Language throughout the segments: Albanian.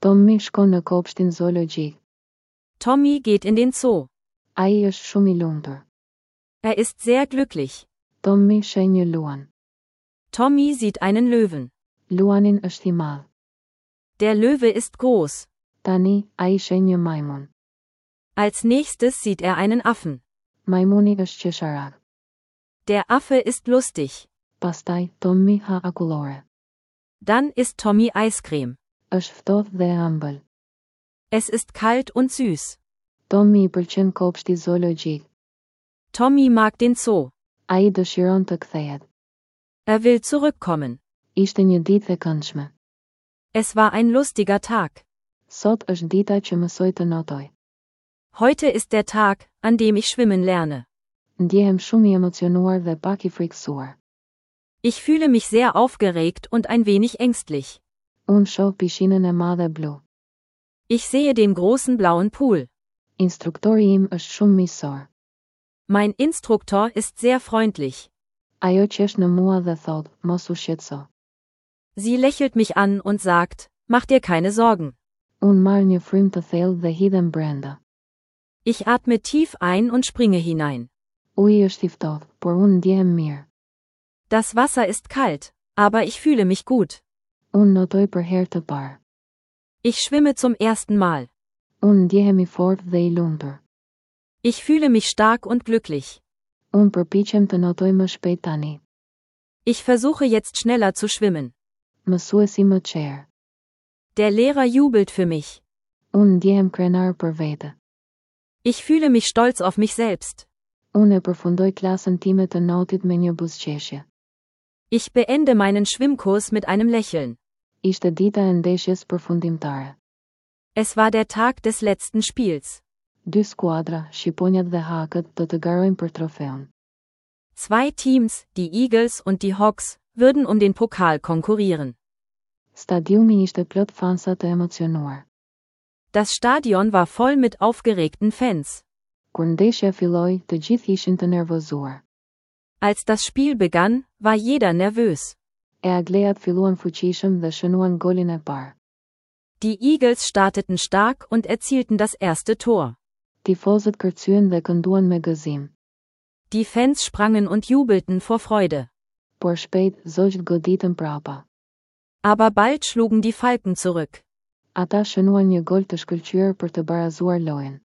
Tommy shkon në kopshtin zoologjik. Tommy geht in den Zoo. Ai është shumë i lumtur. Er ist sehr glücklich. Tommy sheh një luan. Tommy sieht einen Löwen. Luanin është i madh. Der Löwe ist groß. Tani, ai sheh një majmun. Als nächstes sieht er einen Affen. Majmuni është qesharak. Der Affe ist lustig. Pastaj, Tommy ha akullore. Dann isst Tommy Eiscreme. Është ftohtë dhe e ëmbël. Es ist kalt und süß. Tommy i pëlqen kopshti zoologjik. Tommy mag den Zoo. Ai dëshiron të kthehet. Er will zurückkommen. Ishte një ditë e këndshme. Es war ein lustiger Tag. Sot është dita që mësoj të notoj. Heute ist der Tag, an dem ich schwimmen lerne. Ndjehem shumë i emocionuar dhe pak i frikësuar. Ich fühle mich sehr aufgeregt und ein wenig ängstlich. Unë shoh pishinën e madhe blu. Ich sehe den großen blauen Pool. Instruktori im është shumë miqësor. Mein Instruktor ist sehr freundlich. Ajo qesh në mua dhe thotë, mos u shqetëso. Sie lächelt mich an und sagt, mach dir keine Sorgen. Unë marr një frymë të thellë dhe hidhem brenda. Ich atme tief ein und springe hinein. Uji është i ftohtë, por unë ndjehem mirë. Das Wasser ist kalt, aber ich fühle mich gut. Unë notoj për herë të parë. Ich schwimme zum ersten Mal. Unë ndjehem i fortë dhe i lumtur. Ich fühle mich stark und glücklich. Unë përpiqem të notoj më shpejt tani. Ich versuche jetzt schneller zu schwimmen. Mësuesi më çer. Der Lehrer jubelt für mich. Unë ndjehem krenar për vete. Ich fühle mich stolz auf mich selbst. Unë e përfundoj klasën time të notit me një buzëqeshje. Ich beende meinen Schwimmkurs mit einem Lächeln. Ishte dita e ndeshjes përfundimtare. Es war der Tag des letzten Spiels. Dy skuadra, Shqiponjat dhe Hakët, do të garojnë për trofeun. Zwei Teams, die Eagles und die Hawks, würden um den Pokal konkurrieren. Stadiumi ishte plot fansa të emocionuar. Das Stadion war voll mit aufgeregten Fans. Kur ndeshja filloi, të gjithë ishin të nervozuar. Als das Spiel begann, war jeder nervös. Eaglejat filluan fuqishëm dhe shënuan golin e parë. Die Eagles starteten stark und erzielten das erste Tor. Tifozët kërcyen dhe kënduan me gëzim. Die Fans sprangen und jubelten vor Freude. Por shpejt, zogjtë goditën prapa. Aber bald schlugen die Falken zurück. Ata shënuan një gol të shkëlqyer për të barazuar lojën.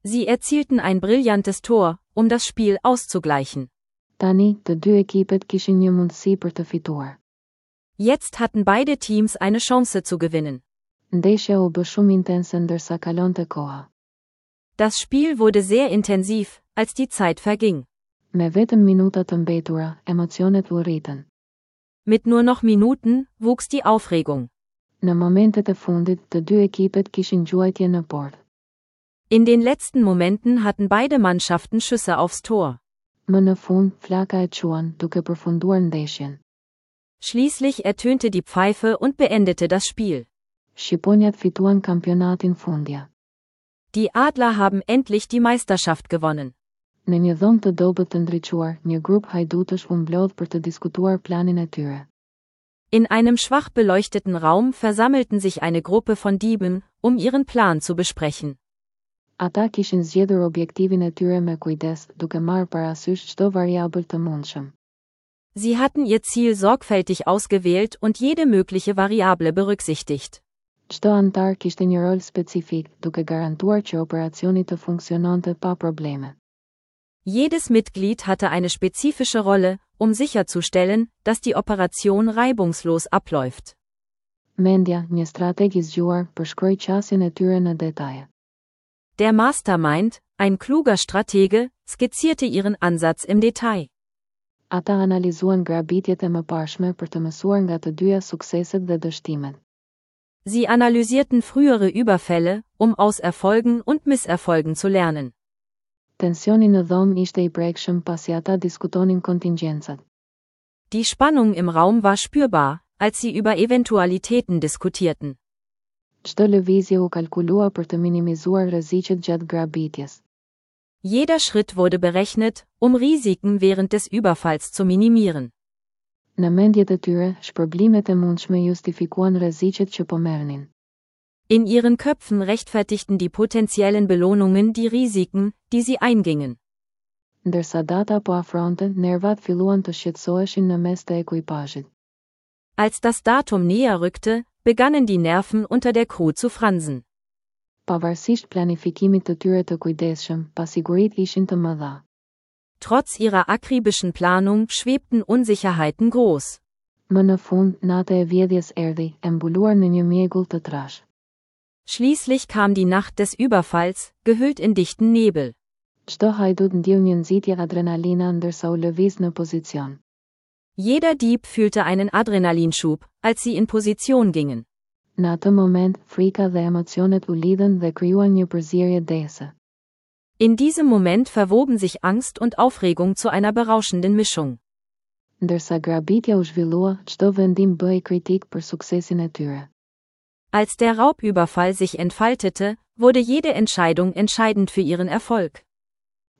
Sie erzielten ein brillantes Tor, um das Spiel auszugleichen. Tani, të dy ekipet kishin një mundësi për të fituar. Jetzt hatten beide Teams eine Chance zu gewinnen. Ndeshja u bë shumë intense ndërsa kalonte koha. Das Spiel wurde sehr intensiv, als die Zeit verging. Me vetëm minuta të mbetura, emocionet u rritën. Mit nur noch Minuten, wuchs die Aufregung. Në momentet e fundit, të dy ekipet kishin gjuajtje në portë. In den letzten Momenten hatten beide Mannschaften Schüsse aufs Tor. Më në fund, flaka e quan, duke përfunduar ndeshjen. Schließlich ertönte die Pfeife und beendete das Spiel. Shqiponjat fituan kampionatin fundja. Die Adler haben endlich die Meisterschaft gewonnen. Në një dhomë të dobët të ndriçuar, një grup hajdutësh u mblodh për të diskutuar planin e tyre. In einem schwach beleuchteten Raum versammelten sich eine Gruppe von Dieben, um ihren Plan zu besprechen. Ata kishin zgjedhur objektivin e tyre me kujdes, duke marrë parasysh çdo variabël të mundshëm. Sie hatten ihr Ziel sorgfältig ausgewählt und jede mögliche Variable berücksichtigt. Çdo anëtar kishte një rol specifik, duke garantuar që operacioni të funksiononte pa probleme. Jedes Mitglied hatte eine spezifische Rolle, um sicherzustellen, dass die Operation reibungslos abläuft. Mendja, një strateg i zgjuar, përshkroi qasjen e tyre në detaje. Der Mastermind, ein kluger Stratege, skizzierte ihren Ansatz im Detail. Ata analizuan grabitjet e mëparshme për të mësuar nga të dyja sukseset dhe dështimet. Sie analysierten frühere Überfälle, um aus Erfolgen und Misserfolgen zu lernen. Tensioni në dhomë ishte i prekshëm pasi ata diskutonin kontingjencat. Die Spannung im Raum war spürbar, als sie über Eventualitäten diskutierten. Çdo lëvizje u kalkulua për të minimizuar rreziqet gjatë grabitjes. Jeder Schritt wurde berechnet, um Risiken während des Überfalls zu minimieren. Në mendjet e tyre, shpërblimet e mundshme justifikuan rreziqet që po merrnin. In ihren Köpfen rechtfertigten die potenziellen Belohnungen die Risiken, die sie eingingen. Ndërsa data po afronte, nervat filluan të shqetësoheshin në mes të ekuipazhit. Als das Datum näher rückte, begannen die Nerven unter der Crew zu fransen. Pavarësisht planifikimit të tyre të kujdesshëm, pasiguritë ishin të mëdha. Trotz ihrer akribischen Planung schwebten Unsicherheiten groß. Më në fund, nata e vjedhjes erdhi, e mbuluar në një mjegull të trashë. Schließlich kam die Nacht des Überfalls, gehüllt in dichten Nebel. Çdo hajdut ndjeu një nxitje adrenalina ndërsa u lëviz në pozicion. Jeder Dieb fühlte einen Adrenalinschub, als sie in Position gingen. Në atë moment, frika dhe emocionet u lidhën dhe krijuan një përzierje dehëse. In diesem Moment verwoben sich Angst und Aufregung zu einer berauschenden Mischung. Ndërsa grabitja u zhvillua, çdo vendim bëhej kritik për suksesin e tyre. Als der Raubüberfall sich entfaltete, wurde jede Entscheidung entscheidend für ihren Erfolg.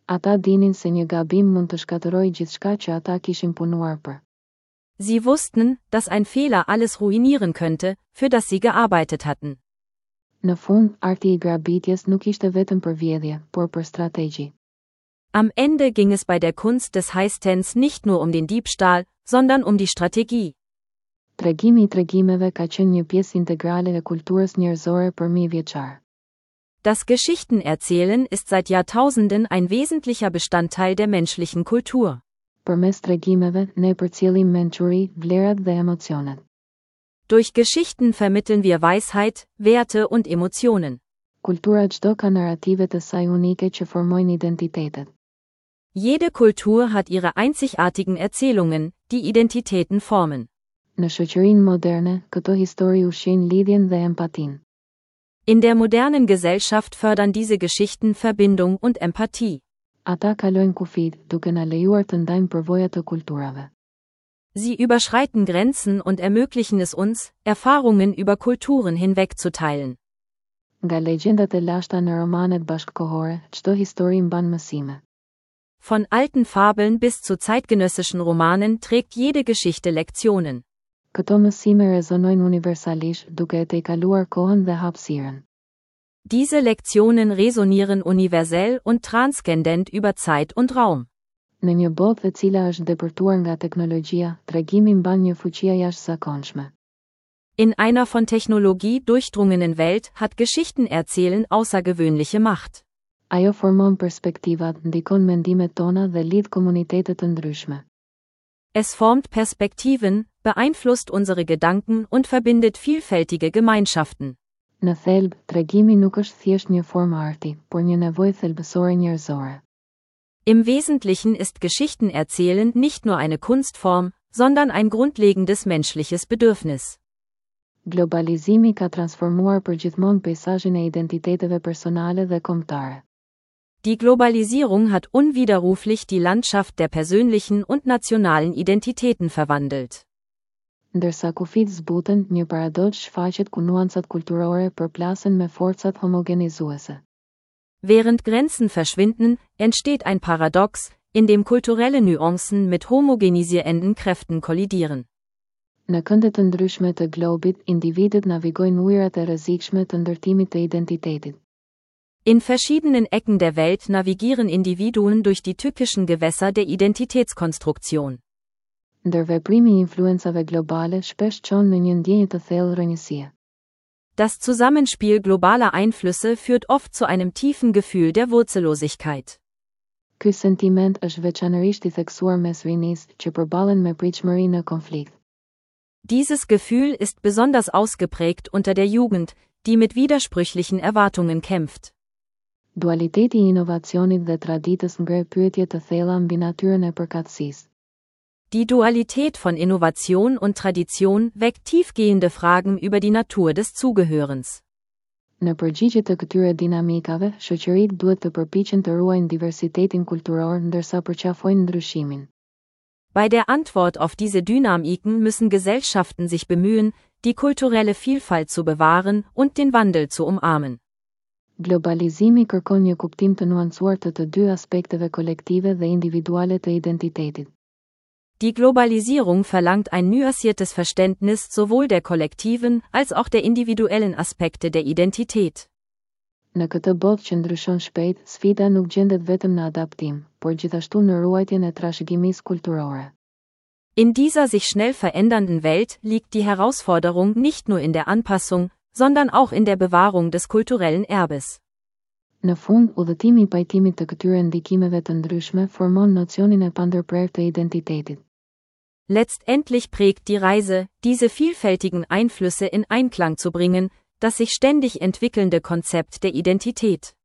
Ata dinin se një gabim mund të shkatërrojë gjithçka që ata kishin punuar për. Sie wussten, dass ein Fehler alles ruinieren könnte, für das sie gearbeitet hatten. Në fund, arti i grabitjes nuk ishte vetëm për vjedhje, por për strategji. Am Ende ging es bei der Kunst des Heistens nicht nur um den Diebstahl, sondern um die Strategie. Tregimi i tregimeve ka qenë një pjesë integrale e kulturës njerëzore për mijëvjeçarë. Das Geschichtenerzählen ist seit Jahrtausenden ein wesentlicher Bestandteil der menschlichen Kultur. Përmes tregimeve, ne përcjellim mençuri, vlerat dhe emocionet. Durch Geschichten vermitteln wir Weisheit, Werte und Emotionen. Kultura çdo ka narrativet e saj unike që formojnë identitetet. Jede Kultur hat ihre einzigartigen Erzählungen, die Identitäten formen. Në shoqërinë moderne, këto histori ushqejnë lidhjen dhe empatinë. In der modernen Gesellschaft fördern diese Geschichten Verbindung und Empathie. Ata kalojnë kufijtë, duke na lejuar të ndajmë përvoja të kulturave. Sie überschreiten Grenzen und ermöglichen es uns, Erfahrungen über Kulturen hinweg zu teilen. Nga legjendat e lashta në romanet bashkëkohore, çdo histori mban mësime. Von alten Fabeln bis zu zeitgenössischen Romanen trägt jede Geschichte Lektionen. Këto mësime rezonojnë universalisht, duke e tejkaluar kohën dhe hapësirën. Diese Lektionen resonieren universell und transzendent über Zeit und Raum. Në një botë e cila është depërtuar nga teknologjia, tregimi mban një fuqi të jashtëzakonshme. In einer von Technologie durchdrungenen Welt hat Geschichtenerzählen außergewöhnliche Macht. Ajo formon perspektivat, ndikon mendimet tona dhe lidh komunitete të ndryshme. Es formt Perspektiven, beeinflusst unsere Gedanken und verbindet vielfältige Gemeinschaften. Në thelb, tregimi nuk është thjesht një formë arti, por një nevojë thelbësore njerëzore. Im Wesentlichen ist Geschichtenerzählen nicht nur eine Kunstform, sondern ein grundlegendes menschliches Bedürfnis. Globalizimi ka transformuar përgjithmonë peisazhin e identiteteve personale dhe kombëtare. Die Globalisierung hat unwiderruflich die Landschaft der persönlichen und nationalen Identitäten verwandelt. Ndërsa kufijtë zbuten, një paradoks shfaqet ku nuancat kulturore përplasen me forcat homogenizuese. Während Grenzen verschwinden, entsteht ein Paradox, in dem kulturelle Nuancen mit homogenisierenden Kräften kollidieren. Në kënde të ndryshme të globit, individët navigojnë ujërat e rrezikshme të ndërtimit të identitetit. In verschiedenen Ecken der Welt navigieren Individuen durch die tückischen Gewässer der Identitätskonstruktion. Ndërveprimi i influencave globale shpesh çon në një ndjenjë të thellë rrënjësie. Das Zusammenspiel globaler Einflüsse führt oft zu einem tiefen Gefühl der Wurzellosigkeit. Ky sentiment është veçanërisht i theksuar mes rinisë, që përballen me pritshmëri në konflikt. Dieses Gefühl ist besonders ausgeprägt unter der Jugend, die mit widersprüchlichen Erwartungen kämpft. Dualiteti i inovacionit dhe traditës ngre pyetje të thella mbi natyrën e përkatësisë. Die Dualität von Innovation und Tradition weckt tiefgehende Fragen über die Natur des Zugehörens. Në përgjigje të këtyre dinamikave, shoqëritë duhet të përpiqen të ruajnë diversitetin kulturor ndërsa përqafojnë ndryshimin. Bei der Antwort auf diese Dynamiken müssen Gesellschaften sich bemühen, die kulturelle Vielfalt zu bewahren und den Wandel zu umarmen. Globalizimi kërkon një kuptim të nuancuar të të dy aspekteve kolektive dhe individuale të identitetit. Die Globalisierung verlangt ein nuanciertes Verständnis sowohl der kollektiven als auch der individuellen Aspekte der Identität. Në këtë botë që ndryshon shpejt, sfida nuk gjendet vetëm në adaptim, por gjithashtu në ruajtjen e trashëgimisë kulturore. In dieser sich schnell verändernden Welt liegt die Herausforderung nicht nur in der Anpassung, sondern auch in der Bewahrung des kulturellen Erbes. Në fund, udhëtimi i pajtimit të këtyre ndikimeve të ndryshme formon nocionin e pandërprerë të identitetit. Letztendlich prägt die Reise, diese vielfältigen Einflüsse in Einklang zu bringen, das sich ständig entwickelnde Konzept der Identität.